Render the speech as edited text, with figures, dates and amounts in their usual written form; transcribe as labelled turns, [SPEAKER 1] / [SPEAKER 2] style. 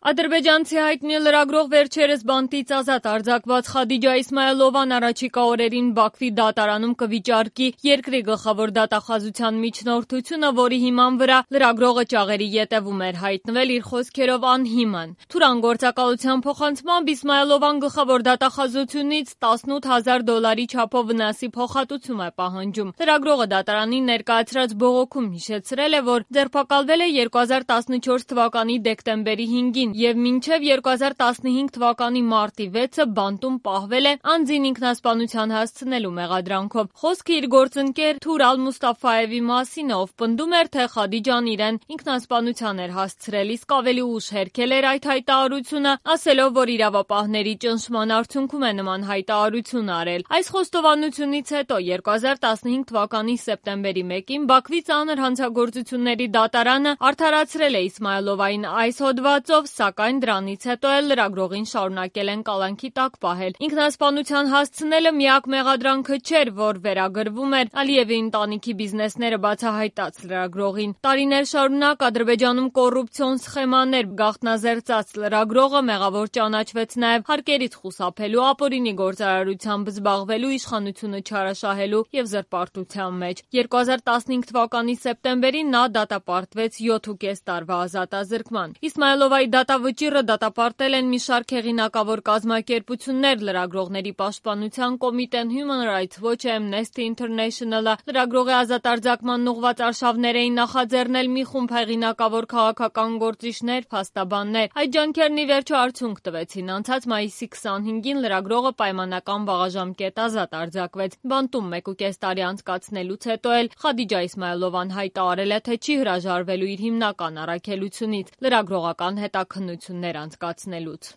[SPEAKER 1] Ադրբեջանցի հայտնի լրագրող վերջերս բանտից ազատ արձակված Խադիջա Իսմայիլովան առաջիկա օրերին Բաքվի դատարանում կվիճարկի երկրի գլխավոր դատախազության միջնորդությունը, որի հիման վրա լրագրողը ճաղերի ետևում էր հայտնվել իր խոսքերով անհիմն։ Թուրան գործակալության փոխանցմամբ Իսմայիլովան գլխավոր դատախազությունից $18,000 չափով վնասի փոխհատուցում է պահանջում։ Լրագրողը դատարանին ներկայացրած բողոքում հիշեցրել է, որ ձերբակալվել է 2014 թվականի դեկտեմբերի 5-ին և մինչև 2015 թվականի մարտի 6-ը բանտում պահվել է անձին ինքնասպանության հասցնելու մեղադրանքով։ Խոսքը իր գործընկեր Թուր Ալ-Մուստաֆայևի մասին է, ով պնդում էր, թե Խադիջան իրեն ինքնասպանության էր հասցրել, իսկ ավելի ուշ հերքել էր այդ հայտարարությունը, ասելով, որ իրավապահների ճնշման արդյունքում է նման հայտարարություն արել։ Այս խոստովանությունից հետո 2015 թվականի սեպտեմբերի 1-ին Բաքվի ծանր հանցագործությունների դատարանը արդարացրել է Իսմայիլովային այս հոդվածով, սակայն դրանից հետո էլ լրագրողին շարունակել են կալանքի տակ պահել։ Ինքնասպանության հասցնելը միակ մեղադրանքը չէր, որ վերագրվում էր Ալիևի ընտանիքի բիզնեսները բացահայտած լրագրողին։ Տարիներ շարունակ Ադրբեջանում կոռուպցիոն սխեմաներ գաղտնազերծած լրագրողը մեղավոր ճանաչվեց նաև հարկերից խուսափելու, ապօրինի գործարարությամբ զբաղվելու, իշխանությունը չարաշահելու և զրպարտության մեջ։ 2015 թվականի սեպտեմբերին նա դատապարտվեց 7.5 տարվա ազատազրկման։ Իսմայիլովայի դատավճիռը դատապարտել են մի շարք հեղինակավոր կազմակերպություններ, լրագրողների պաշտպանության կոմիտեն, Human Rights Watch-ը, Amnesty International-ը, լրագրողի ազատարձակման ուղղված արշավներ էին նախաձեռնել մի խումբ հեղինակավոր քաղաքական գործիչներ, փաստաբաններ։ Այդ ջանքերն ի վերջո արդյունք տվեցին։ Անցած մայիսի 25-ին լրագրողը պայմանական վաղաժամկետ ազատ արձակվեց։ Բանտում 1.5 տարի անցկացնելուց հետո էլ Խադիջա Իսմայիլովան հայտարարել է, թե չի հրաժարվելու իր հիմնական առաքելությունից՝ լրագրողական հետաքննություններ անցկացնելուց։